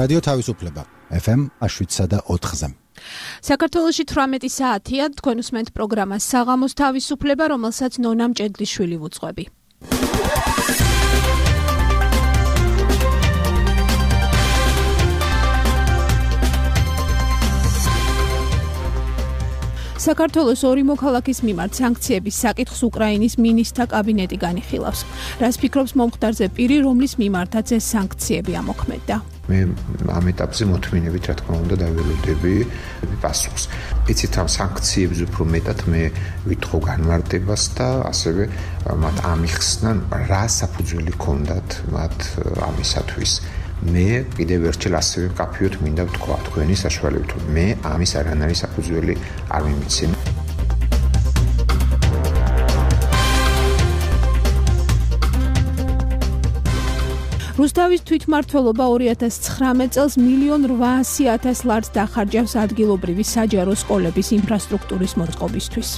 რადიო თავისუფლება FM 107.4-ზე. საქართველოში 18 საათია, თქვენ უსმენთ პროგრამას საღამოს თავისუფლება, რომელსაც ნონა მჭედლიშვილი ვუძღვები. საქართველოს ორი მოქალაქის მიმართ სანქციების საკითხს უკრაინის მინისტრთა კაბინეტი განიხილავს. რას ფიქრობს მომხდარზე პირი, რომლის მიმართაც ეს სანქციები ამოქმედდა? მე ამ ეტაპზე მოთმინებით, რა თქმა უნდა, დაველოდები პასუხს. იცით, ამ სანქციებს უფრო მეტად მე ვითხოვ განმარტებას და ასევე მათ ამიხსნან, რა საფუძველი ჰქონდათ მათ ამისათვის. მე კიდევ ერთხელ ასევე მკაფიოდ მინდა ვთქვა თქვენი საშუალებით, რომ მე ამის არანაირი საფუძველი არ მიმიცემ. რუსთავის თვითმმართველობა 2019 წელს 1.8 მილიონ დახარჯავს ადგილობრივი საჯარო სკოლების ინფრასტრუქტურის მოწყობისთვის.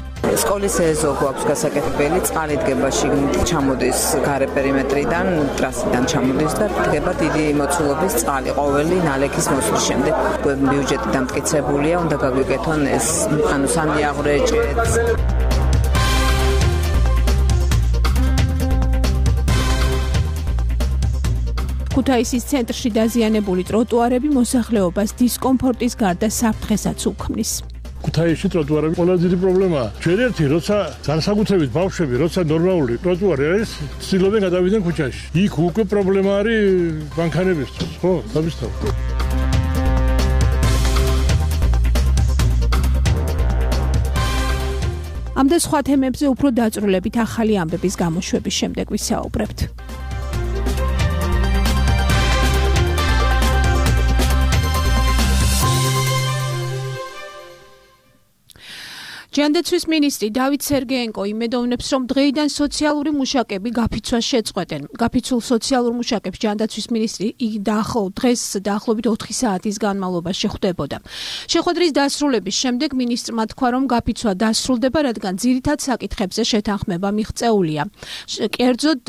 სკოლის ეზო გვაქვს გასაკეთებელი, წყალი დგება შიგნით, ჩამოდის გარე პერიმეტრიდან, ტრასიდან ჩამოდის და დგება დიდი მოცულობის წყალი ყოველი ნალექის მოსვლის შემდეგ. ბიუჯეტი დამტკიცებულია, უნდა გაგვიკეთონ ეს, სანიაღვრეჭეც. ქუთაისის ცენტრში დაზიანებული ტროტუარები მოსახლეობას დისკომფორტის გარდა საფრთხესაც უქმნის. ქუთაისში ტროტუარები ყველაზე დიდი პრობლემაა. ჩვენ ერთი როცა განსაკუთრებით ბავშვები, როცა ნორმალური ტროტუარი არის, ცდილობენ გადავიდნენ ქუჩაში. იქ უკვე პრობლემა არის მანქანებისთვის, ხო? დავისთავოთ. ამ და სხვა თემებზე უფრო დაწვრილებით ახალი ამბების გამოშვების შემდეგ ვისაუბრებთ. ჯანდაცვის მინისტრი დავით სერგეენკო იმედოვნებს, რომ დღეიდან სოციალური მუშაკები გაფიცვას შეწყვეტენ. გაფიცულ სოციალურ მუშაკებს ჯანდაცვის მინისტრი დღეს დაახლოებით 4 საათის განმავლობაში ხვდებოდა. შეხვედრის დასრულების შემდეგ მინისტრმა თქვა, რომ გაფიცვა დასრულდება, რადგან ძირითად საკითხებზე შეთანხმება მიღწეულია. კერძოდ,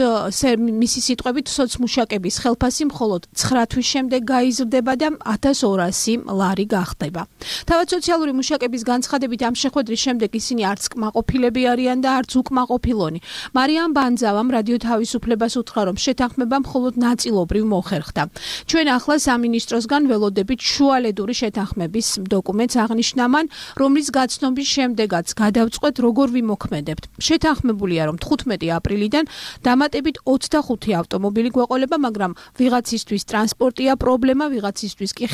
მისი სიტყვებით, სოცმუშაკების ხელფასი მხოლოდ 9 თვის შემდეგ გაიზრდება და 1200 ლარი გახდება. თავად სოციალური მუშაკების განცხადებით ამ შეხვედრის შემდეგ ისინი არც კმაყოფილები არიან და არც უკმაყოფილონი. მარიამ ბანძავამ რადიო თავისუფლებას უთხრა, რომ შეთანხმება მხოლოდ ნაწილობრივ მოხერხდა. ჩვენ ახლა სამინისტროსგან ველოდებით შუალედური შეთანხმების დოკუმენტს აღნიშნა მან, რომლის გაცნობის შემდეგაც გადავწყვეტ, როგორ ვიმოქმედებთ. შეთანხმებულია, რომ 15 აპრილიდან დამატებით 25 ავტომობილი გვეყოლება, მაგრამ ვიღაცისთვის ტრანსპორტია პრობლემა, ვიღაცისთვის კი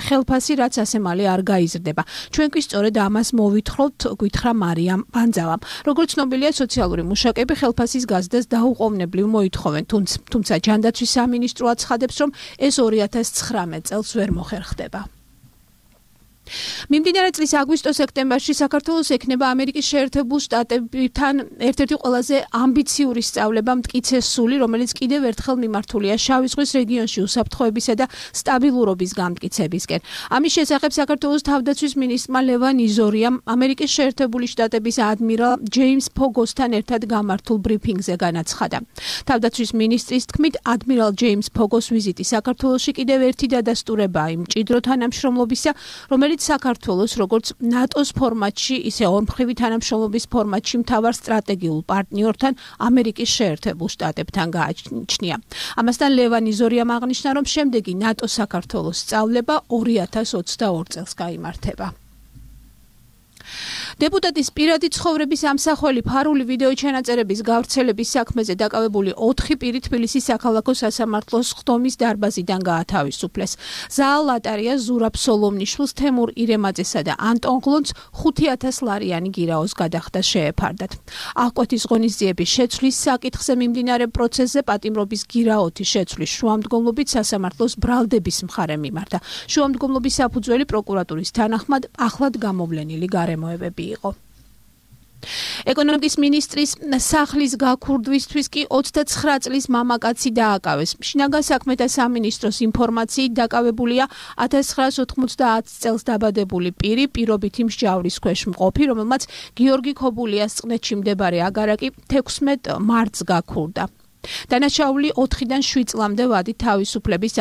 ხელფასი, რაც ასე მალე არ გაიზრდება. ჩვენ კი სწორედ ამას მოვითხრობთ, გითხრა მარიამ ბანძავამ. როგორც ცნობილია, სოციალური მუშაკები ხელფასის გაზრდას დაუყოვნებლივ მოითხოვენ, თუმცა ჯანდაცვის სამინისტრო აცხადებს, რომ ეს 2019 წელს ვერ მოხერხდება. მიმდინარე წლის აგვისტო-სექტემბერში საქართველოს ექნება ამერიკის შეერთებულ შტატებთან ერთ-ერთი ყველაზე ამბიციური სწავლება მტკიცე სული, რომელიც კიდევ ერთხელ მიმართულია შავი ზღვის რეგიონში უსაფრთხოებისა და სტაბილურობის გამტკიცებისკენ. ამის შესახებ საქართველოს თავდაცვის მინისტრმა ლევან იზორიამ ამერიკის შეერთებული შტატების ადმირალ ჯეიმს ფოგოსთან ერთად გამართულ ბრიფინგზე განაცხადა. თავდაცვის მინისტრის თქმით, ადმირალ ჯეიმს ფოგოს ვიზიტი საქართველოში კიდევ ერთი დადასტურებაა იმ მჭიდრო თანამშრომლობისა, რომელიც საქართველოს როგორც ნატოს ფორმატში, ისე ორმხრივი თანამშრომლობის ფორმატში მთავარ სტრატეგიულ პარტნიორთან ამერიკის შეერთებულ შტატებთან გააჩნია. ამასთან ლევან იზორიამ აღნიშნა, რომ შემდეგი ნატო-საქართველოს სწავლება 2022 წელს გაიმართება. დეპუტატის პირადი ცხოვრების ამსახველი ფარული ვიდეო ჩანაწერების გავრცელების საქმეზე დაკავებული 4 პირი თბილისის საქალაქო სასამართლოს ხდომის დარბაზიდან გაათავისუფლეს. ზაალ ლატარია, ზურაბ სოლომნიშვილს, თემურ ირემაძესა და ანტონ გლონს 5000 ლარიანი გირაოს გადახდა შეეფარდათ. აღკვეთის ღონისძიების შეცვლის საკითხზე მიმდინარე პროცესზე პატიმრობის გირაოთი შეცვლის შუამდგომლობით სასამართლოს ბრალდების მხარე მიმართა. შუამდგომლობის საფუძველი პროკურატურის თანახმად ახლად გამოვლენილი გარემოებები იყო. ეკონომიკის მინისტრის სახლის გაქურდვისთვის კი 29 წლის მამაკაცი დააკავეს. შინაგან საქმეთა სამინისტროს ინფორმაციით დაკავებულია 1990 წელს დაბადებული პირი, პირობითი მსჯავრის ქვეშ მყოფი, რომელმაც გიორგი ქობულიას წყნეთში მდებარე აგარაკი 16 მარტს გაქურდა. დანაშაული 4-დან 7 წლამდე ვადით თავისუფლების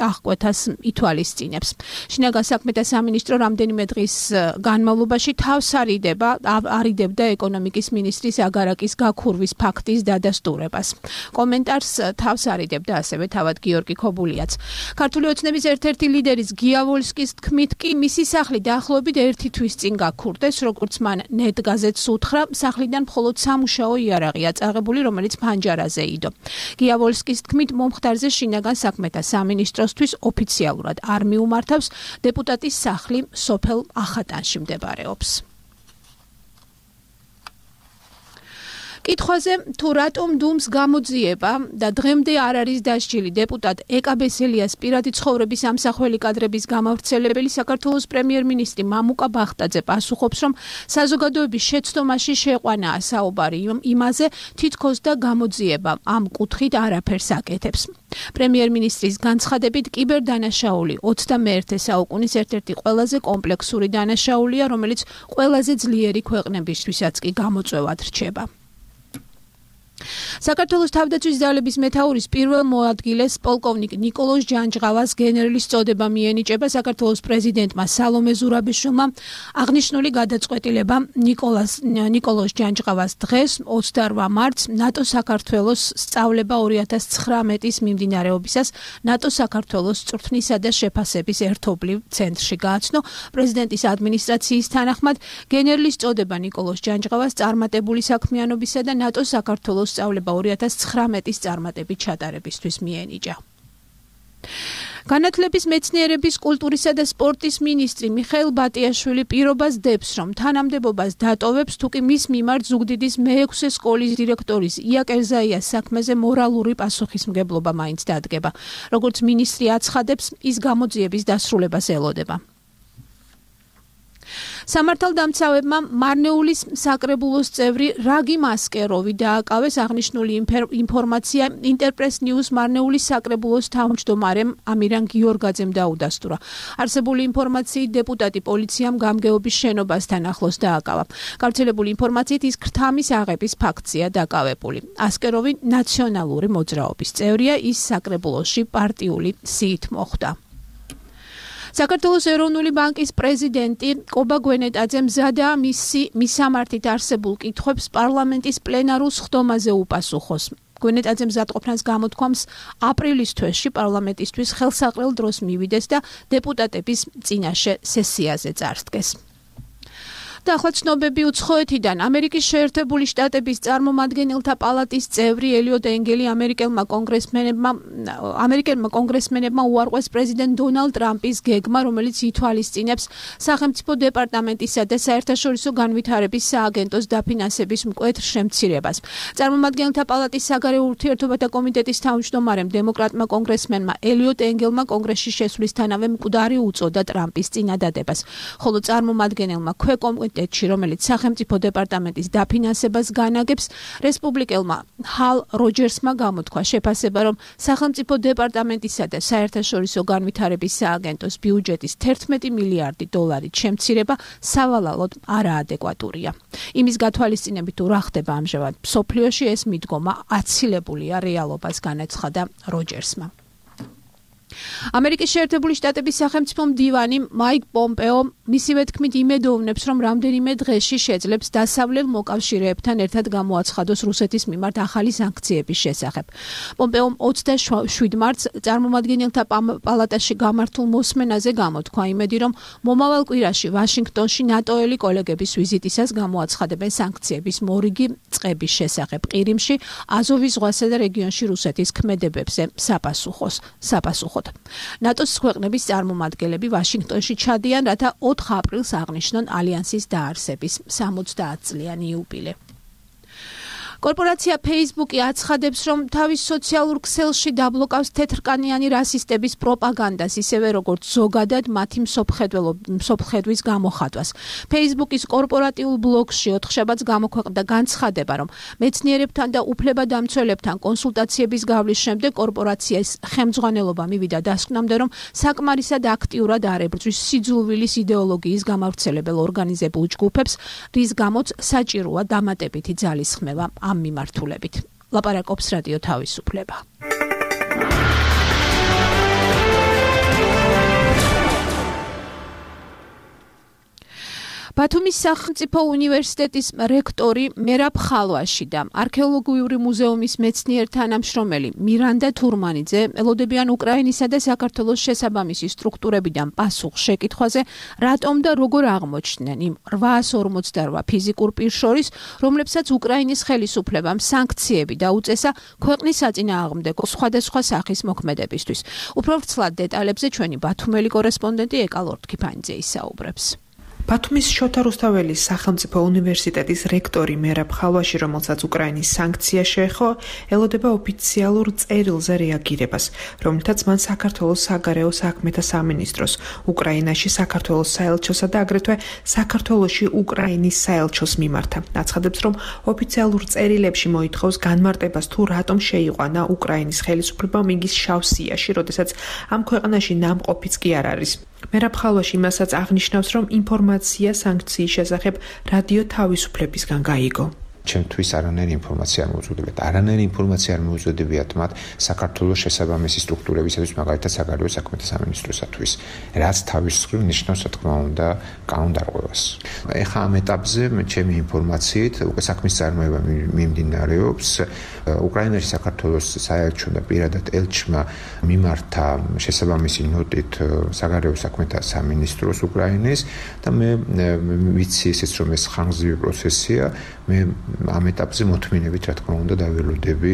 აღკვეთას ითვალისწინებს. შინაგან საქმეთა სამინისტრო რამდენიმე დღის განმავლობაში თავს არიდებდა ეკონომიკის მინისტრის აგარაკის გაქურვის ფაქტის დადასტურებას. კომენტარს თავს არიდებდა ასევე თავად გიორგი ქობულიაც. ქართული ოცნების ერთ-ერთი ლიდერის გია ვოლსკის თქმით კი მისი სახლი დაახლოებით 1 თვის წინ გაქურდეს, როგორც მან ნეტ გაზეთს უთხრა, სახლიდან მხოლოდ სამუშაო იარაღია წაღებული, რომელიც ფანჯარაზე იდო. გია ვოლსკის თქმით, მომხდარზე შინაგან საქმეთა სამინისტროსთვის ოფიციალურად არ მიუმართავს, დეპუტატის სახლი სოფელ ახატანში მდებარეობს. კითხვაზე თუ რატომ დუმს გამოძიება და დღემდე არ არის დასჯილი დეპუტატ ეკა ბესელიას პირადი ცხოვრების ამსახველი კადრების გამავრცელებელი, საქართველოს პრემიერ-მინისტრი მამუკა ბახტაძე პასუხობს, რომ საზოგადოების შეცდომაში შეყვანაა საუბარი იმაზე, თითქოს და გამოძიება ამ კუთხით არაფერს აკეთებს. პრემიერ-მინისტრის განცხადებით, კიბერდანაშაული 21 საუკუნის ერთ-ერთი ყველაზე კომპლექსური დანაშაულია, რომელიც ყველაზე ძლიერი ქვეყნებისთვისაც კი გამოწვევად რჩება. საქართველოს თავდაცვის ძალების მეთაურის პირველ მოადგილეს პოლკოვნიკ ნიკოლოზ ჯანჯღავას გენერლის წოდება მიენიჭება საქართველოს პრეზიდენტმა სალომე ზურაბიშვილმა. აღნიშნული გადაწყვეტილება ნიკოლოზ ჯანჯღავას დღეს 28 მარტს ნატო საქართველოს სწავლება 2019-ის მიმდინარეობისას ნატო საქართველოს წვრთნისა და შეფასების ერთობლივ ცენტრში გააცნო. პრეზიდენტის ადმინისტრაციის თანახმად გენერლის წოდება ნიკოლოზ ჯანჯღავას წარმატებული საქმიანობისა და ნატო საქართველოს სწავლება 2019-ის წარმატებით ჩატარებისთვის მიენიჭა. განათლების, მეცნიერების, კულტურისა და სპორტის მინისტრი მიხეილ ბატიაშვილი პირობას დებს, რომ თანამდებობას დატოვებს, თუკი მის მიმართ ზუგდიდის მე-6 სკოლის დირექტორის ია კერზაიას საქმეზე მორალური პასუხისმგებლობა მაინც დადგება. როგორც მინისტრი აცხადებს, ის გამოძიების დასრულებას ელოდება. სამართალდამცავებმა მარნეულის საკრებულოს წევრი რაგი მასკეროვი დააკავეს. აღნიშნული ინფორმაცია ინტერპრეს ნიუს მარნეულის საკრებულოს თავმჯდომარემ ამირან გიორგაძემ დაუდასტურა. არსებული ინფორმაციით დეპუტატი პოლიციამ გამგეობის შენობასთან ახლოს დააკავა. გავრცელებული ინფორმაციით ის ქრთამის აღების ფაქტია დაკავებული. ასკეროვი ნაციონალური მოძრაობის წევრია, ის საკრებულოში პარტიული სიით მოხვდა. საქართველოს ეროვნული ბანკის პრეზიდენტი კობა გვენეტაძე მზადაა მისამართით არსებულ კითხვებს პარლამენტის პლენარულ სხდომაზე უპასუხოს. გვენეტაძე მზადყოფნას გამოთქვამს აპრილის თვეში პარლამენტისთვის ხელსაყრელ დროს მივიდეს და დეპუტატების წინაშე სესიაზე წარსდგეს. და ახლა ცნობები უცხოეთიდან. ამერიკის შეერთებული შტატების წარმომადგენელთა პალატის წევრი ელიოტ ენგელი ამერიკელმა კონგრესმენებმა უარყვეს პრეზიდენტ დონალდ ტრამპის გეგმა, რომელიც ითვალისწინებს სახელმწიფო დეპარტამენტისა და საერთაშორისო განვითარების სააგენტოს დაფინანსების მკვეთრ შემცირებას. წარმომადგენელთა პალატის საგარეო ურთიერთობათა კომიტეტის თავმჯდომარემ დემოკრატმა კონგრესმენმა ელიოტ ენგელმა კონგრესში შესვლისთანავე მკვდარი უწოდა ტრამპის წინადადებას, ხოლო წარმომადგენელმა ქვეკომიტეტში, რომელიც სახელმწიფო დეპარტამენტის დაფინანსებას განაგებს, რესპუბლიკელმა ჰალ როჯერსმა გამოთქვა შეფასება, რომ სახელმწიფო დეპარტამენტისა და საერთაშორისო განვითარების სააგენტოს ბიუჯეტის 11 მილიარდი დოლარით შემცირება სავალალოდ არაადეკვატურია. იმის გათვალისწინებით თუ რა ხდება ამჟამად მსოფლიოში, ეს მიდგომა აცილებულია რეალობას, განაცხადა როჯერსმა. ამერიკის შეერთებული შტატების სახელმწიფო მდივანი მაიკ პომპეო მისივე თქმით იმედოვნებს, რომ რამდენიმე დღეში შეძლებს დასავლელ მოკავშირეებთან ერთად გამოაცხადოს რუსეთის მიმართ ახალი სანქციების შესახებ. პომპეომ 27 მარტს წარმომადგენელთა პალატაში გამართულ მოსმენაზე გამოთქვა იმედი, რომ მომავალ კვირაში ვაშინგტონში ნატოელი კოლეგების ვიზიტისას გამოაცხადებენ სანქციების მორიგი წყების შესახებ ყირიმში, აზოვის ზღვასა და რეგიონში რუსეთის ქმედებებზე საპასუხოდ. ნატოს ქვეყნების წარმომადგენლები ვაშინგტონში ჩადიან, რათა 4 აპრილს აღნიშნონ ალიანსის დაარსების 70 წლიანი იუბილე. კორპორაცია Facebook-ი აცხადებს, რომ თავის სოციალურ ქსელში დაბლოკავს თეთრკანიანი რასისტების პროპაგანდას, ისევე როგორც ზოგადად მათი მსოფლხედვის გამოხატვას. Facebook-ის კორპორატიულ ბლოგში ოთხშაბათს გამოქვეყნდა განცხადება, რომ მეცნიერებთან და უფლებადამცველებთან კონსულტაციების გავლის შემდეგ კორპორაციას ხელმძღვანელობა მივიდა დასკვნამდე, რომ საკმარისად აქტიურად არ ებრძვის სიძულვილის იდეოლოგიის გამავრცელებელ ორგანიზებულ ჯგუფებს, რის გამოც საჭიროა დამატებითი ძალისხმევა ამ მიმართულებით. ლაპარაკობს რადიო თავისუფლება. ბათუმის სახელმწიფო უნივერსიტეტის რექტორი მერაბ ხალვაში და არქეოლოგიური მუზეუმის მეცნიერ თანამშრომელი მირანდა თურმანიძე ელოდებიან უკრაინისა და საქართველოს შესაბამისი სტრუქტურებიდან პასუხს შეკითხვაზე, რატომ და როგორ აღმოჩნდნენ იმ 848 ფიზიკურ პირს შორის, რომლებსაც უკრაინის ხელისუფლებამ სანქციები დაუწესა ქვეყნის საწინააღმდეგო სხვადასხვა სახის მოქმედებისთვის. უფრო ვრცლად დეტალებზე ჩვენი ბათუმელი კორესპონდენტი ეკა ლორთქიფანიძე ისაუბრებს. ბათუმის შოთა რუსთაველის სახელმწიფო უნივერსიტეტის რექტორი მერაბ ხალვაში, რომელსაც უკრაინის სანქცია შეეხო, ელოდება ოფიციალურ წერილზე რეაგირებას, რომლითაც მან საქართველოს საგარეო საქმეთა სამინისტროს, უკრაინაში საქართველოს საელჩოსა და აგრეთვე საქართველოში უკრაინის საელჩოს მიმართა. აცხადებს, რომ ოფიციალურ წერილებში მოითხოვს განმარტებას თუ რატომ შეიყვანა უკრაინის ხელისუფლებამ იგის შავ სიაში, როდესაც ამ ქვეყანაში ნამყოფიც კი არ არის. მერაბ ხალვაში იმასაც აღნიშნავს, რომ ინფორმაცია სანქციის შესახებ რადიო თავისუფლებისგან გაიგო. ჩემთვის არანაირი ინფორმაცია არ მოუწოდებიათ. არანაირი ინფორმაცია არ მოუწოდებიათ მათ საქართველოს შესაბამისი სტრუქტურებისათვის, მაგალითად საგარეო საქმეთა სამინისტროსათვის, რაც თავის მხრივ ნიშნავს, რა თქმა უნდა, კანონდარღვევას. ეხლა ამ ეტაპზე ჩემი ინფორმაციით უკვე საქმის წარმოება მიმდინარეობს. უკრაინაში საქართველოს საელჩო და პირადად ელჩმა მიმართა შესაბამისი ნოტით საგარეო საქმეთა სამინისტროს უკრაინის და მე ვიცი ესეც რომ ეს ხანგრძლივი პროცესია, მე ამ ეტაპზე მოთმინებით, რა თქმა უნდა, დაველოდები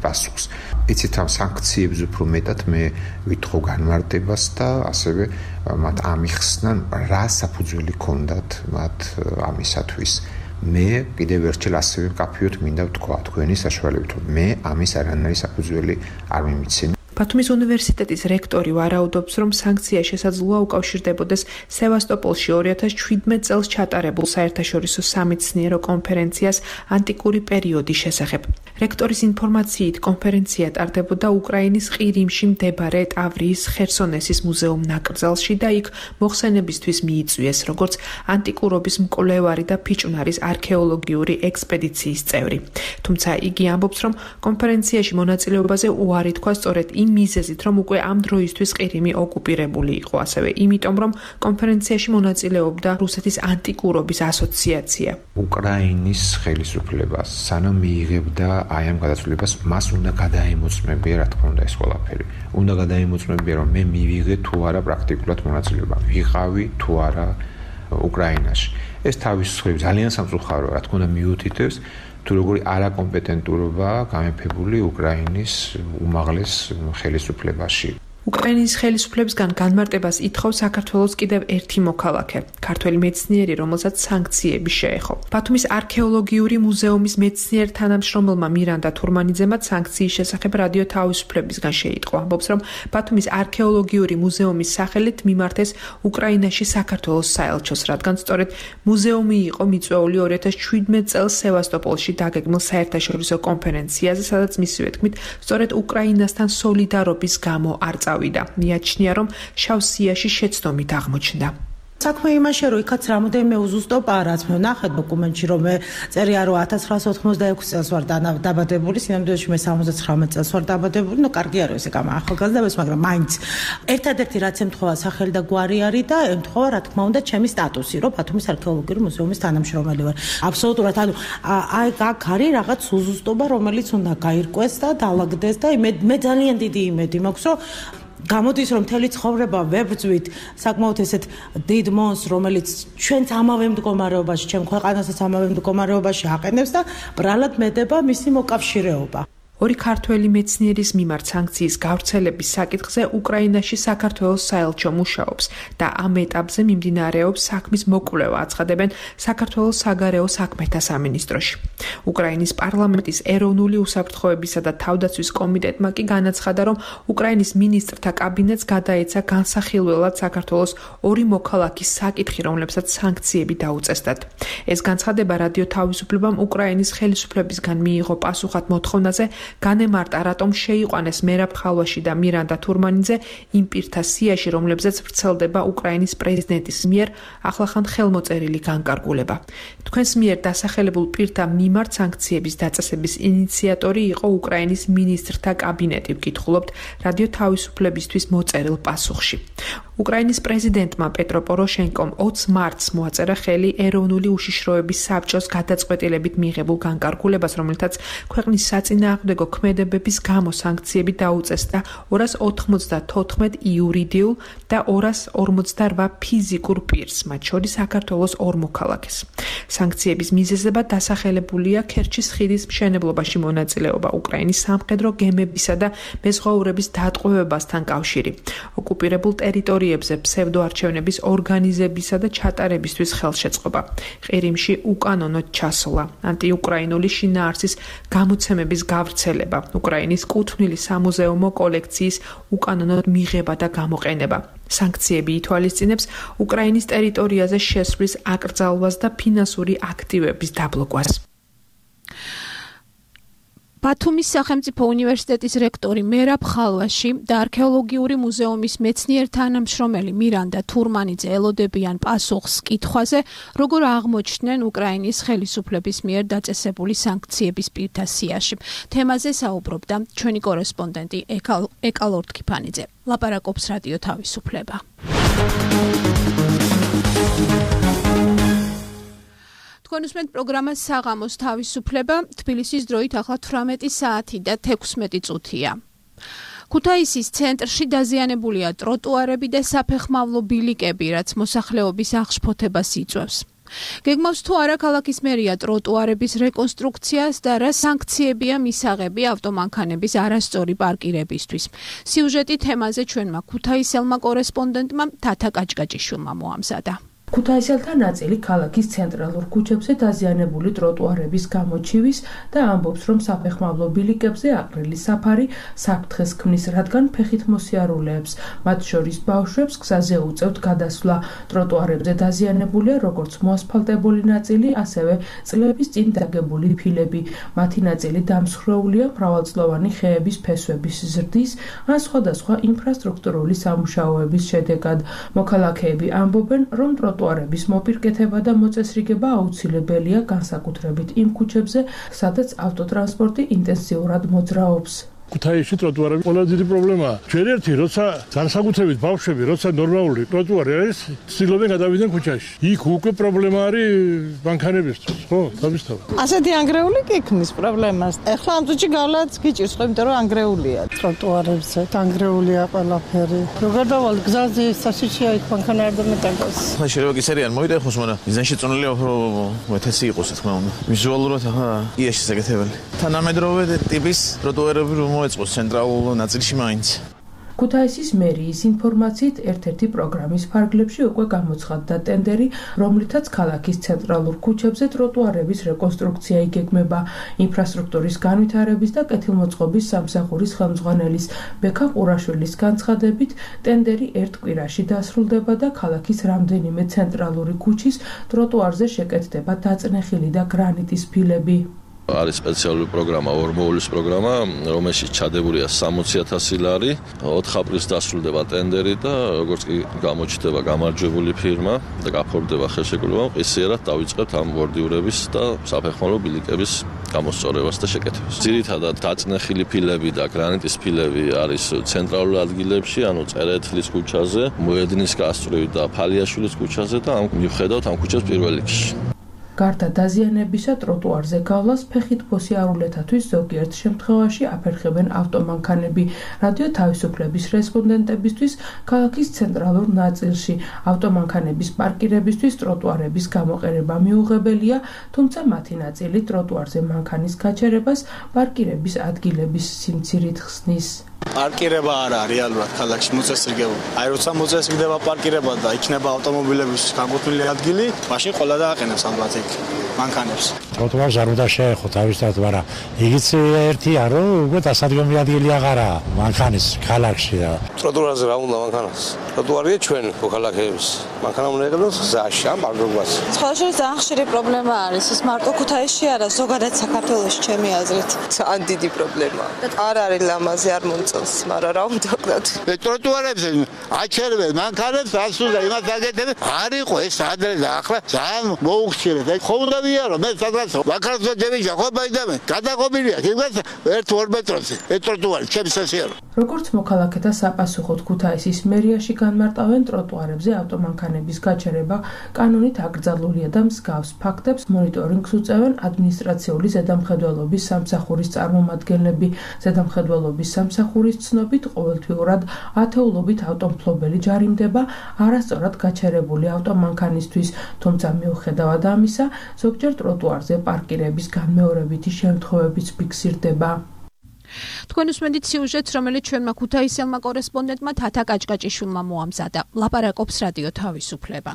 პასუხს. იცით, ამ სანქციებზე უფრო მეტად მე ვითხოვ განმარტებას და ასევე მათ ამიხსნა, რა საფუძველი ჰქონდათ მათ ამისათვის. მე კიდევ ერთხელ ასევე მკაფიოდ მინდა ვთქვა თქვენი საშუალებით, რომ მე ამის არანაირი საფუძველი არ მიმიცემ. ბათუმის უნივერსიტეტის რექტორი ვარაუდობს, რომ სანქცია შესაძლოა უკავშირდებოდეს სევასტოპოლში 2017 წელს ჩატარებულ საერთაშორისო სამეცნიერო კონფერენციას ანტიკური პერიოდის შესახებ. რექტორის ინფორმაციით, კონფერენცია ტარდებოდა უკრაინის ყირიმში მდებარე ტავრიის ხერსონესის მუზეუმ ნაკრძალში და იქ მოხსენებისთვის მიიწვიეს, როგორც ანტიკურობის მკვლევარი და ფიჭვნარის არქეოლოგიური ექსპედიციის წევრი. თუმცა იგი ამბობს, რომ კონფერენციაში მონაწილეობაზე უარი თქვა სწორედ იმ მიზეზით, რომ უკვე ამ დროისთვის ყირიმი ოკუპირებული იყო, ასევე იმიტომ, რომ კონფერენციაში მონაწილეობდა რუსეთის ანტიკურობის ასოციაცია. უკრაინის ხელისუფლებას სანამ მიიღებდა აი ამ გადაწყვეტილებას, მას უნდა გადაემოწმებია, რა თქმა უნდა, ეს ყველაფერი. უნდა გადაემოწმებია, რომ მე მივიღე თუ არა პრაქტიკულად მონაწილეობა, ვიყავი თუ არა უკრაინაში. ეს თავის მხრივ ძალიან სამწუხაროა, რა თქმა უნდა, მიუთითებს თუ როგორი არაკომპეტენტურობა გამეფებული უკრაინის უმაღლეს ხელისუფლებაში. უკრაინის ხელისუფლებისგან განმარტებას ითხოვს საქართველოს კიდევ ერთი მოქალაქე, ქართველი მეცნიერი, რომელსაც სანქციები შეეხო. ბათუმის არქეოლოგიური მუზეუმის მეცნიერ თანამშრომელმა მირანდა თურმანიძემაც სანქციის შესახებ რადიო თავისუფლებისგან შეიტყვა. ამბობს, რომ ბათუმის არქეოლოგიური მუზეუმის სახელით მიმართეს უკრაინაში საქართველოს საელჩოს, რადგან სწორედ მუზეუმი იყო მიწვეული 2017 წელს სევასტოპოლში დაგეგმილ საერთაშორისო კონფერენციაზე, სადაც მისივე თქმით, სწორედ უკრაინასთან სოლიდარობის გამო არ წავიდა. მიაჩნია, რომ შავ სიაში შეცდომით აღმოჩნდა. საქმე იმაშია, რომ იქაც რამოდენიმე უზუსტობაა, რაც მე ვნახეთ დოკუმენტში, რომ მე წერია, რომ 1986 წელს ვარ დაბადებული, სინამდვილეში მე 79 წელს ვარ დაბადებული, ნუ კარგი არის ესე გამა ახალგაზრდებს, მაგრამ მაინც ერთადერთი რაც ემთხვევა სახელი და გვარი არის და ემთხვევა, რა თქმა უნდა, ჩემი სტატუსი, რომ ბათუმის არქეოლოგიური მუზეუმის თანამშრომელი ვარ. აბსოლუტურად, ანუ აი აქ არის რაღაც უზუსტობა, რომელიც უნდა გაირკვეს და დაალაგდეს და მე ძალიან დიდი იმედი მაქვს, რომ გამოდის, რომ მთელი ცხოვრება ვებრძვით საკმაოდ ესეთ დიდ მონს, რომელიც ჩვენც ამავე მდგომარეობაში, ჩემ ქვეყანასაც ამავე მდგომარეობაში აყენებს და ბრალად მედება მისი მოკავშირეობა. ორი ქართველი მეცნიერის მიმართ სანქციის გავრცელების საკითხზე უკრაინაში საქართველოს საელჩო მუშაობს და ამ ეტაპზე მიმდინარეობს საქმის მოკვლევა, აცხადებენ საქართველოს საგარეო საქმეთა სამინისტროში. უკრაინის პარლამენტის ეროვნული უსაფრთხოებისა და თავდაცვის კომიტეტმა კი განაცხადა, რომ უკრაინის მინისტრთა კაბინეტს გადაეცა განსახილველად საქართველოს ორი მოქალაქის საკითხი, რომლებსაც სანქციები დაუწესდათ. ეს განცხადება რადიო თავისუფლებამ უკრაინის ხელისუფლებისგან მიიღო პასუხად მოთხოვნაზე, განემარტა, რატომ შეიყვანეს მერაბ ხალვაში და მირანდა თურმანიძე იმ პირთა სიაში, რომლებზეც ვრცელდება უკრაინის პრეზიდენტის მიერ ახლახან ხელმოწერილი განკარგულება. თქვენს მიერ დასახელებულ პირთა მიმართ სანქციების დაწესების ინიციატორი იყო უკრაინის მინისტრთა კაბინეტი, ვკითხულობთ რადიო თავისუფლებისთვის მოწერილ პასუხში. უკრაინის პრეზიდენტმა პეტრო პოროშენკომ 20 მარტს მოაწერა ხელი ეროვნული უშიშროების საბჭოს გადაწყვეტილებით მიღებულ განკარგულებას, რომელთაც ქვეყნის საწინააღმდეგო ქმედებების გამო სანქციები დაუწესდა 294 იურიდიულ და 248 ფიზიკურ პირს, მათ შორის საქართველოს 2 მოქალაქეს. სანქციების მიზეზებად დასახელებულია ქერჩის ხიდის მშენებლობაში მონაწილეობა, უკრაინის სამხედრო გემებისა და მეზღვაურების დატყვევებასთან კავშირი, ოკუპირებულ ტერიტორიებზე ფსევდოარჩევნების ორგანიზებისა და ჩატარებისთვის ხელშეწყობა, ყირიმში უკანონოდ ჩასვლა, ანტიუკრაინული შინაარსის გამოცემების გავრცელება, უკრაინის კუთვნილი სამუზეუმო კოლექციის უკანონოდ მიღება და გამოყენება. სანქციები ითვალისწინებს უკრაინის ტერიტორიაზე შესვლის აკრძალვას და ფინანსური აქტივების დაბლოკვას. ბათუმის სახელმწიფო უნივერსიტეტის რექტორი მერაბ ხალვაში და არქეოლოგიური მუზეუმის მეცნიერ-თანამშრომელი მირანდა თურმანიძე ელოდებიან პასუხს კითხვაზე, როგორ აღმოჩნდნენ უკრაინის ხელისუფლების მიერ დაწესებული სანქციების პირთა სიაში. თემაზე საუბრობდა ჩვენი კორესპონდენტი ეკალორდ ქიფანიძე. ლაპარაკობს რადიო თავისუფლება. თქვენ უსმენთ პროგრამას საღამოს თავისუფლება, თბილისის დროით ახლა 18 საათი და 16 წუთია. ქუთაისის ცენტრში დაზიანებულია ტროტუარები და საფეხმავლო ბილიკები, რაც მოსახლეობის აღშფოთებას იწვევს. გეგმავს თუ არა ქალაქის მერია ტროტუარების რეკონსტრუქციას და რა სანქციებია მისაღები ავტომანქანების არასწორი პარკირებისთვის. სიუჟეტი თემაზე ჩვენმა ქუთაისელმა კორესპონდენტმა თათა კაჭკაჭიშვილმა მოამზადა. ქუთაისელთა ნაწილი ქალაქის ცენტრალურ ქუჩებზე დაზიანებული ტროტუარების გამოჩივის და ამბობს, რომ საფეხმავლო ბილიკებზე აყრილი საფარი საფრთხეს ქმნის, რადგან ფეხით მოსიარულეებს, მათ შორის ბავშვებს გზაზე უწევთ გადასვლა. ტროტუარებზე დაზიანებულია როგორც მოასფალტებული ნაწილი, ასევე წლების წინ დაგებული ფილები. მათი ნაწილი დამსხვრეულია მრავალწლოვანი ხეების ფესვების ზრდის ან სხვადასხვა ინფრასტრუქტურული სამუშაოების შედეგად. მოქალაქეები ამბობენ, რომ ტროტუარების მოპირკეთება და მოწესრიგება აუცილებელია, განსაკუთრებით იმ ქუჩებზე, სადაც ავტოტრანსპორტი ინტენსიურად მოძრაობს. ქუთაისში ტროტუარები ყველაზე დიდი პრობლემაა. ჩვენ ერთი როცა განსაკუთრებით ბავშვები, როცა ნორმალური ტროტუარი არის, ცდილობენ გადავიდნენ ქუჩაში. იქ უკვე პრობლემა არის მანქანებისთვის, ხო? თავისთავად. ასეთი ანგრეული გექმნის პრობლემას. ეხლა ამ წუთში გავლაც გიჭირს, ხო, იმიტომ რომ ანგრეულია ტროტუარებზე, ანგრეულია ყველაფერი. როგორ დავალ გზაზე სასიჩია იქ მანქანა არ დამეტანოს. ხა შეიძლება კი სერიან მოიდეხოს, მაგრამ მიზანში წონილია უფრო მეტესი იყოს, თქმა უნდა. ვიზუალურად ახლა ია შესაძლებელი. თანამედროვე ტიპის ტროტუარები მოეწყოს ცენტრალურ ნაწილში მაინც. ქუთაისის მერიის ინფორმაციით ერთ-ერთი პროგრამის ფარგლებში უკვე გამოცხადდა ტენდერი, რომლითაც ქალაქის ცენტრალურ ქუჩებზე ტროტუარების რეკონსტრუქცია იგეგმება. ინფრასტრუქტურის განვითარების და კეთილმოწყობის სამსახურის ხელმძღვანელის ბექა ყურაშვილის განცხადებით, ტენდერი ერთ კვირაში დასრულდება და ქალაქის რამდენიმე ცენტრალური ქუჩის ტროტუარზე შეკეთდება დაწნეხილი და გრანიტის ფილები. არის სპეციალური პროგრამა, ორმოულის პროგრამა, რომელშიც ჩადებულია 60,000 ლარი. 4 აპრილს დასრულდება ტენდერი და როგორც კი გამოჩნდება გამარჯვებული ფირმა და გაფორმდება ხელშეკრულება, ყისიერად დავიწყებთ ამ ბორდიურების და საფეხმავლო ბილიკების გამოსწორებას და შეკეთებას. ძირითადად დაწნეხილი ფილები და გრანიტის ფილები არის ცენტრალურ ადგილებში, ანუ წერეთლის ქუჩაზე, მოედნის გასწვრივ და ფალიაშვილის ქუჩაზე და ამ მიუხედავად ამ ქუჩას პირველ რიგში. გარდა დაზიანებისა, ტროტუარზე გავლას ფეხით მოსიარულეთათვის ზოგიერთ შემთხვევაში აფერხებენ ავტომანქანები. რადიო თავისუფლების რესპონდენტებისთვის ქალაქის ცენტრალურ ნაწილში ავტომანქანების პარკირებისთვის ტროტუარების გამოყენება მიუღებელია, თუმცა მათი ნაწილი ტროტუარზე მანქანის გაჩერებას პარკირების ადგილების სიმცირით ხსნის. პარკირება არ არის რეალურად ქალაქში მოწესრიგებული. აი როცა მოწესრიგდება პარკირება და იქნება ავტომობილების განკუთვნილი ადგილი, მაშინ ყველა დააყენებს ალბათ იქ მანქანებს. ტროტუარს არ უნდა შეეხო თავისთავად, მაგრამ იგიც ერთია, რომ უკვე დასადგომი ადგილი აღარაა მანქანის ქალაქში. ტროტუარზე რა უნდა მანქანას? ტროტუარია ჩვენ მოქალაქეების. მანქანა უნდა იყიდოს გზაში, ამ პარკობას. სხვადასხვა ძალიან ხშირი პრობლემა არის. ეს მარტო ქუთაისში არა, ზოგადად საქართველოში ჩემი აზრით. ძალიან დიდი პრობლემაა. არ არის ლამაზი, არ მომწონს, მაგრამ რა უნდა ვქნათ? ტროტუარებზე აჩერებენ მანქანებს, ასულა იმას აგეთებენ. არ იყო ეს ადრე და ახლა ძალიან მოუხშირეთ. ხო უნდა ვიარო, მე სადღაც ვაქარს ვეძებია, ხო ბაიდამე. გადაყობილია იმას 1-2 მეტროზე. ეს ტროტუარი ჩემს სასიარო. როგორც მოქალაქეთა საპასუხოდ ქუთაისის მერიაში განმარტავენ ტროტუარებზე ავტომანქანების გაჩერება კანონით აკრძალულია და მსგავს ფაქტებს მონიტორინგს უწევენ ადმინისტრაციული ზედამხედველობის სამსახურის წარმომადგენლები. ზედამხედველობის სამსახურის ცნობით ყოველთვიურად ათეულობით ავტომფლობელი ჯარიმდება არასწორად გაჩერებული ავტომანქანისთვის, თუმცა მიუხედავად ამისა, ზოგჯერ ტროტუარზე პარკირების განმეორებითი შემთხვევებიც ფიქსირდება. თქვენ უსმენთ სიუჟეტს, რომელიც ჩვენმა ქუთაისელმა კორესპონდენტმა თათა კაჭკაჭიშვილმა მოამზადა. ლაპარაკობს რადიო თავისუფლება.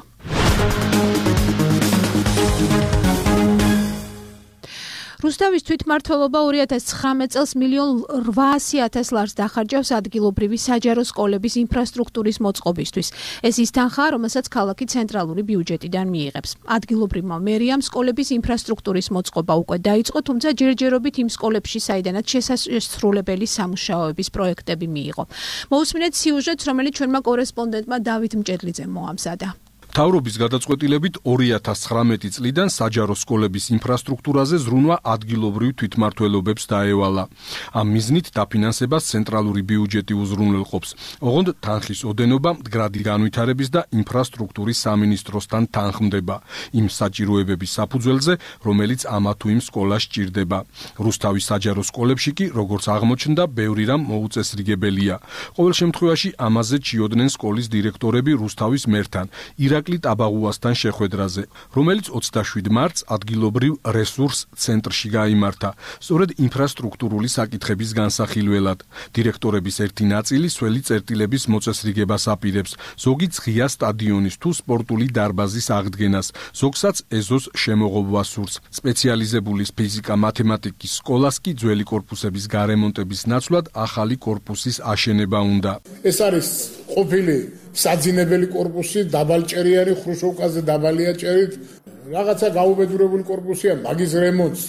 რუსთავის თვითმმართველობა 2019 წელს 1.8 ლარს დახარჯავს ადგილობრივი საჯარო სკოლების ინფრასტრუქტურის მოწყობისთვის. ეს ის თანხაა, რომელსაც ქალაქი ცენტრალური ბიუჯეტიდან მიიღებს. ადგილობრივმა მერიამ სკოლების ინფრასტრუქტურის მოწყობა უკვე დაიწყო, თუმცა ჯერჯერობით იმ სკოლებში, საიდანაც შესრულებელი სამუშაოების პროექტები მიიღო. მოусმინეთ სიუჟეტს, რომელიც ჩვენმა კორესპონდენტმა დავით მჭედლიძემ მოამზადა. მთავრობის გადაწყვეტილებით 2019 წლიდან საჯარო სკოლების ინფრასტრუქტურაზე ზრუნვა ადგილობრივ თვითმმართველობებს დაევალა. ამ მიზნით დაფინანსებას ცენტრალური ბიუჯეტი უზრუნველყოფს. ოღონდ თანხის ოდენობა მდგრადი განვითარების და ინფრასტრუქტურის სამინისტროსთან თანხმდება იმ საჭიროებების საფუძველზე, რომელიც ამა თუ იმ სკოლას სჭირდება. რუსთავის საჯარო სკოლებში კი, როგორც აღმოჩნდა, ბევრი რამ მოუწესრიგებელია. ყოველ შემთხვევაში ამაზე ჩიოდნენ სკოლის დირექტორები რუსთავის მერთან. ირაკლი ტაბაღუასთან შეხვედრაზე, რომელიც 27 მარტს ადგილობრივ რესურს ცენტრში გაიმართა, სწორედ ინფრასტრუქტურული საკითხების განსახილველად. დირექტორების ერთი ნაწილი სველი წერტილების მოწესრიგებას აპირებს, ზოგი ღია სტადიონის თუ სპორტული დარბაზის აღდგენას, ზოგსაც ეზოს შემოღობას სურს. სპეციალიზებული ფიზიკა-მათემატიკის სკოლას კი ძველი კორპუსების გარემონტების ნაცვლად ახალი კორპუსის აშენება უნდა. ეს არის ყოფილი საძინებელი კორპუსი, დაბალჭერიანი ხრუშოვკაზე დაბალია ჭერით, რაღაცა გაუბედურებული კორპუსია, მაგის რემონტს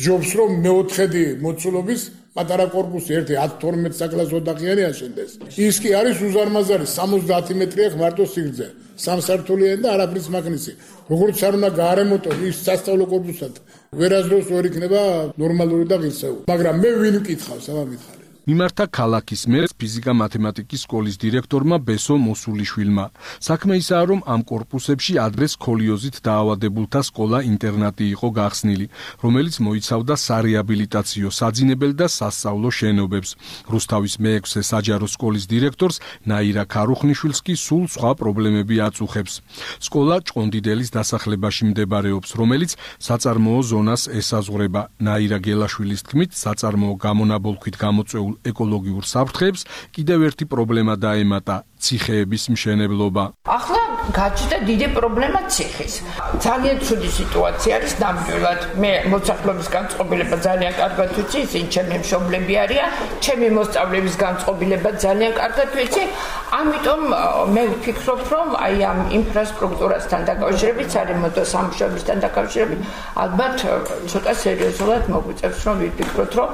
ჯობს რომ მეოთხედი მოცულობის პატარა კორპუსი ერთი 10-12 საკლასო ოთახიანი აშენდეს. ის კი არის უზარმაზარი 70 მეტრია მარტო სიგრძე, სამსართულიანი და არაფრის მაგნისი. როგორც არ უნდა გაარემონტოს ის სასწავლო კორპუსად, ვერასდროს ვერ იქნება ნორმალური და ღირსეული. მაგრამ მე ვინ მკითხავს ამ მითხარი? მიმართა ქალაქის მერს ფიზიკა-მათემატიკის სკოლის დირექტორმა ბესო მოსულიშვილმა. საქმე ისაა, რომ ამ კორპუსებში ადრე სქოლიოზით დაავადებულთა სკოლა-ინტერნატი იყო გახსნილი, რომელიც მოიცავდა სარეაბილიტაციო, საძინებელ და სასწავლო შენობებს. რუსთავის მე-6 საჯარო სკოლის დირექტორს ნაირა ქარუხნიშვილს კი სულ სხვა პრობლემები აწუხებს. სკოლა ჭყონდიდელის დასახლებაში მდებარეობს, რომელიც საწარმოო ზონას ესაზღვრება. ნაირა გელაშვილის თქმით, საწარმოო გამონაბოლქვით გამოწვეულ ეკოლოგიურ საფრთხეებს კიდევ ერთი პრობლემა დაემატა ციხეების მშენებლობა. ახლა გაჩნდა დიდი პრობლემა ციხის. ძალიან ცუდი სიტუაცია არის ნამდვილად. მე მოსახლეობის განწყობილება ძალიან კარგად ვიცი, ისინი ჩემი მშობლები არიან, ჩემი მოსწავლეების განწყობილება ძალიან კარგად ვიცი. ამიტომ მე ვფიქრობ, რომ აი ამ ინფრასტრუქტურასთან დაკავშირებით, სარემონტო სამუშაოებთან დაკავშირებით, ალბათ ცოტა სერიოზულად მოგვიწევს, რომ ვიფიქროთ, რომ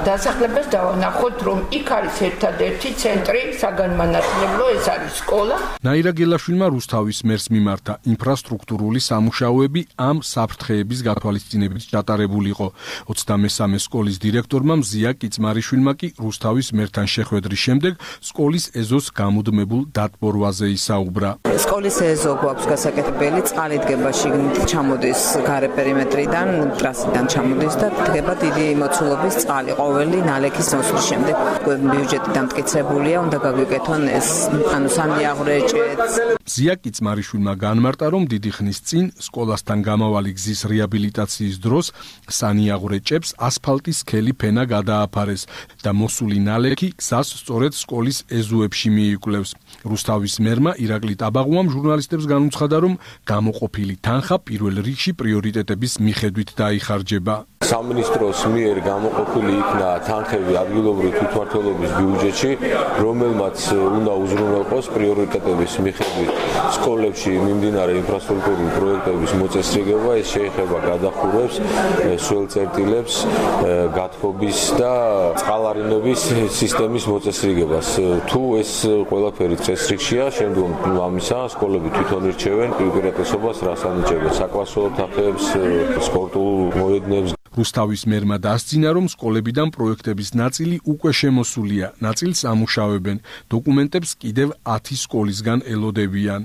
დასახლებას დავანახოთ, რომ იქ არის ერთადერთი ცენტრი საგანმანათლებლო, ეს არის სკოლა. ნაირა გელაშვილმა რუსთავის მერს მიმართა ინფრასტრუქტურული სამუშაოები ამ საფრთხეების გათვალისწინებით ჩატარებული იყო. 23 სკოლის დირექტორმა მზია კიცმარიშვილმა კი რუსთავის მერთან შეხვედრის შემდეგ სკოლის ეზოს გამუდმებულ დატბორვაზე ისაუბრა. სკოლის ეზო გვაქვს გასაკეთებელი, წყალი დგება შიგნით, ჩამოდის გარე პერიმეტრიდან, ტრასიდან ჩამოდის და დგება დიდი მოცულობის წყალი ყოველი ნალექის მოსვლის შემდეგ. ბიუჯეტი დამტკიცებულია, უნდა გაგვიკეთონ ეს ანუ სამიაღვრეჭეც. ზია კიცმარიშვილმა განმარტა, რომ დიდი ხნის წინ სკოლასთან გამავალი გზის რეაბილიტაციის დროს სანიაღვრეჭებს ასფალტის სქელი ფენა გადააფარეს და მოსული ნალექი გზას სწორედ სკოლის ეზოებში მიიკვლევს. რუსთავის მერმა ირაკლი ტაბაღუამ ჟურნალისტებს განუცხადა, რომ გამოყოფილი თანხა პირველ რიგში პრიორიტეტების მიხედვით დაიხარჯება. სამინისტროს მიერ გამოყოფილი იქნა თანხები ადგილობრივი თვითმმართველობის ბიუჯეტში, რომელმაც უნდა უზრუნველყოს პრიორიტეტების მიხედვით სკოლებში მიმდინარე ინფრასტრუქტურული პროექტების მოწესრიგება. ეს შეეხება გადახურვებს, სველწერტილებს, გათბობის და წყალარინების სისტემის მოწესრიგებას. თუ ეს ყველაფერი წესრიგშია, შემდგომ ამისა სკოლები თვითონ ირჩევენ უპირატესობას, რას ანიჭებენ საკლასო ოთახებს, სპორტულ მოედნებს. რუსთავის მერმა დასძინა, რომ სკოლებიდან პროექტების ნაწილი უკვე შემოსულია, ნაწილს ამუშავებენ. დოკუმენტებს კიდევ 10 სკოლისგან ელოდებიან.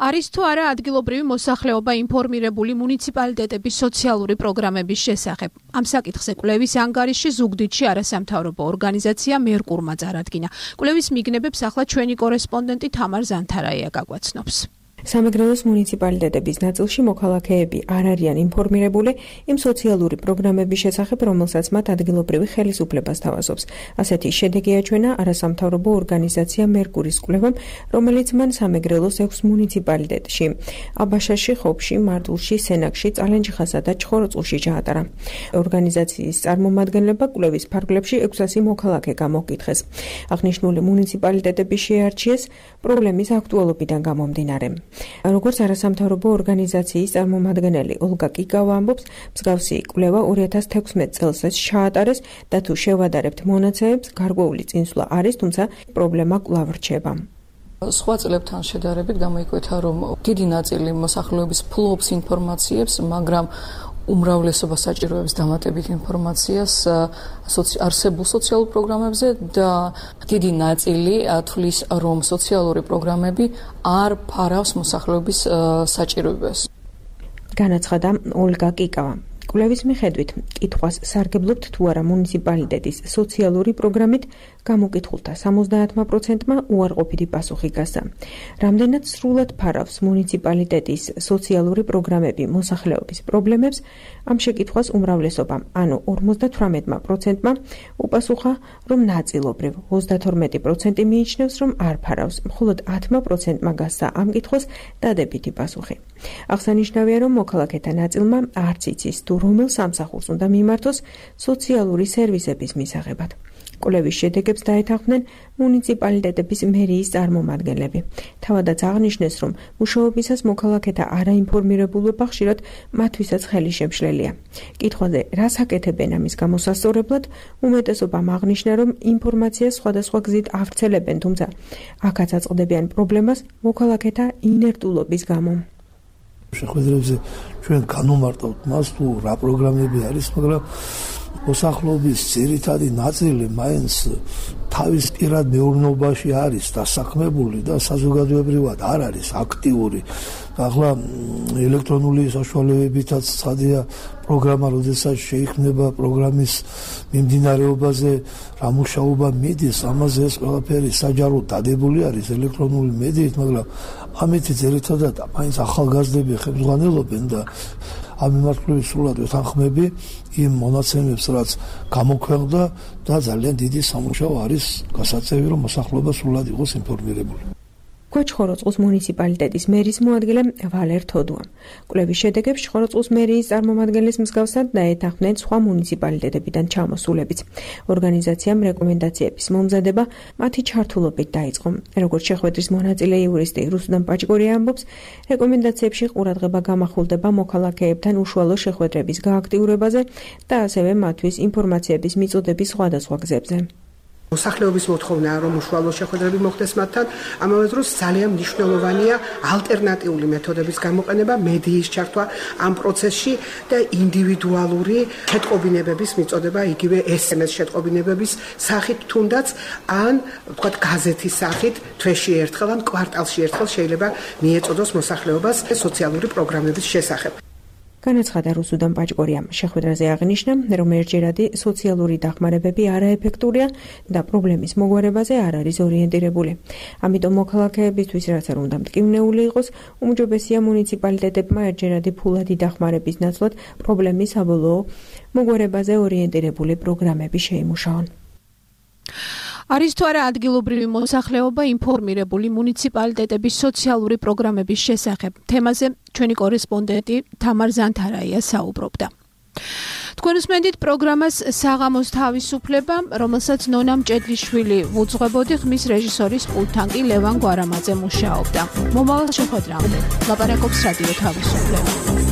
არის თუ არა ადგილობრივი მოსახლეობა ინფორმირებული მუნიციპალიტეტების სოციალური პროგრამების შესახებ? ამ საკითხზე კვლევის ანგარიშში ზუგდიდში არასამთავრობო ორგანიზაცია მერკურმა წარადგინა. კვლევის მიგნებებს ახლა ჩვენი კორესპონდენტი თამარ ზანთარაია გაგვაცნობს. სამეგრელოს მუნიციპალიტეტების ნაწილში მოქალაქეები არ არიან ინფორმირებული იმ სოციალური პროგრამების შესახებ, რომელსაც მათ ადგილობრივი ხელისუფლება სთავაზობს. ასეთი შედეგი აჩვენა არასამთავრობო ორგანიზაცია მერკურის კვლევამ, რომელიც მან სამეგრელოს 6 მუნიციპალიტეტში, აბაშაში, ხობში, მარტვილში, სენაკში, წალენჯიხასა და ჩხოროწყუში ჩაატარა. ორგანიზაციის წარმომადგენლებმა კვლევის ფარგლებში 600 მოქალაქე გამოკითხეს. აღნიშნული მუნიციპალიტეტები შეარჩიეს პრობლემის აქტუალობიდან გამომდინარე. როგორც არასამთავრობო ორგანიზაციის წარმომადგენელი ოლგა კიკავა ამბობს, მსგავსი კვლევა 2016 წელსაც ჩაატარეს და თუ შევადარებთ მონაცემებს, გარკვეული წინსვლა არის, თუმცა პრობლემა კვლავ რჩება. სხვა წლებთან შედარებით გამოიკვეთა, რომ დიდი ნაწილი მოსახლეობის ფლობს ინფორმაციებს, მაგრამ უმრავლესობა საჭიროებს დამატებით ინფორმაციას არსებულ სოციალურ პროგრამებზე და დიდი ნაწილი თვლის, რომ სოციალური პროგრამები არ ფარავს მოსახლეობის საჭიროებას. განაცხადა ოლგა კიკავა. კვლევის მიხედვით, კითხვას სარგებლობთ თუ არა მუნიციპალიტეტის სოციალური პროგრამით, გამოკითხულთა 70%-მა უარყოფითი პასუხი გასცა. რამდენად სრულად ფარავს მუნიციპალიტეტის სოციალური პროგრამები მოსახლეობის პრობლემებს, ამ შეკითხვას უმრავლესობამ, ანუ 58%-მა უპასუხა, რომ ნაწილობრივ, 32% მიიჩნევს, რომ არ ფარავს, მხოლოდ 10%-მა გასცა ამ კითხვას დადებითი პასუხი. აღსანიშნავია, რომ მოქალაქეთა ნაწილმა არც იცის, თუ რომელ სამსახურს უნდა მიმართოს სოციალური სერვისების მისაღებად. კვლევის შედეგებს დაეთანხმნენ მუნიციპალიტეტების მერიის წარმომადგენლები. თავადაც აღნიშნეს, რომ მუშაობისას მოქალაქეთა არაინფორმირებულობა ხშირად მათთვისაც ხელი შემშლელია. კითხვაზე რას აკეთებენ ამის გამოსასწორებლად, უმეტესობამ აღნიშნა, რომ ინფორმაციას სხვადასხვა გზით ავრცელებენ, თუმცა აქაც აწყდებიან პრობლემას მოქალაქეთა ინერტულობის გამო. შეხვედრებზე ჩვენ განვმარტავთ მას, თუ რა პროგრამები არის, მაგრამ მოსახლეობის ძირითადი ნაწილი მაინც თავის პირად მეურნეობაში არის დასაქმებული და საზოგადოებრივად არ არის აქტიური. ახლა ელექტრონული საშუალებებითაც ცხადია პროგრამა, როდესაც შეიქმნება პროგრამის მიმდინარეობაზე რა მუშაობა მიდის, ამაზე ეს ყველაფერი საჯაროდ დადებული არის ელექტრონული მედიით, მაგრამ ამით ძირითადად მაინც ახალგაზრდები ხელმძღვანელობენ და ამ მიმართულებით სრულად ვეთანხმები იმ მონაცემებს, რაც გამოქვეყნდა და ძალიან დიდი სამუშაო არის გასაწევი, რომ მოსახლეობა სრულად იყოს ინფორმირებული. ჩხოროწყუს მუნიციპალიტეტის მერის მოადგილე ვალერ თოდუამ. კვლევის შედეგებს ჩხოროწყუს მერიის წარმომადგენლის მსგავსად დაეთანხმნენ სხვა მუნიციპალიტეტებიდან ჩამოსულებიც. ორგანიზაციამ რეკომენდაციების მომზადება მათი ჩართულობით დაიწყო. როგორც შეხვედრის მონაწილე იურისტი რუსუდან პაჭკორია ამბობს, რეკომენდაციებში ყურადღება გამახვილდება მოქალაქეებთან უშუალო შეხვედრების გააქტიურებაზე და ასევე მათთვის ინფორმაციების მიწოდების სხვადასხვა გზებზე. მოსახლეობის მოთხოვნაა, რომ უშუალო შეხვედრები მოხდეს მათთან, ამავე დროს ძალიან მნიშვნელოვანია ალტერნატიული მეთოდების გამოყენება, მედიის ჩართვა ამ პროცესში და ინდივიდუალური შეტყობინებების მიწოდება, იგივე SMS შეტყობინებების სახით თუნდაც, ან ვთქვათ გაზეთის სახით თვეში ერთხელ ან კვარტალში ერთხელ შეიძლება მიეწოდოს მოსახლეობას სოციალური პროგრამების შესახებ. განაცხადა რუსუდან პაჭკორიამ. შეხვედრაზე აღნიშნა, რომ ერთჯერადი სოციალური დახმარებები არაეფექტურია და პრობლემის მოგვარებაზე არ არის ორიენტირებული. ამიტომ მოქალაქეებისთვის რაც არ უნდა მტკივნეული იყოს, უმჯობესია მუნიციპალიტეტებმა ერთჯერადი ფულადი დახმარების ნაცვლად პრობლემის საბოლოო მოგვარებაზე ორიენტირებული პროგრამები შეიმუშაონ. არის თუ არა ადგილობრივი მოსახლეობა ინფორმირებული მუნიციპალიტეტების სოციალური პროგრამების შესახებ. თემაზე ჩვენი კორესპონდენტი თამარ ზანთარაია საუბრობდა. თქვენ უსმენთ პროგრამას საღამოს თავისუფლება, რომელსაც ნონა მჭედლიშვილი უძღვებოდი, ხმის რეჟისორის პულტთან კი ლევან გვარამაძე მუშაობდა. მომავალ შეხვედრამდე ლაპარაკობს რადიო თავისუფლება.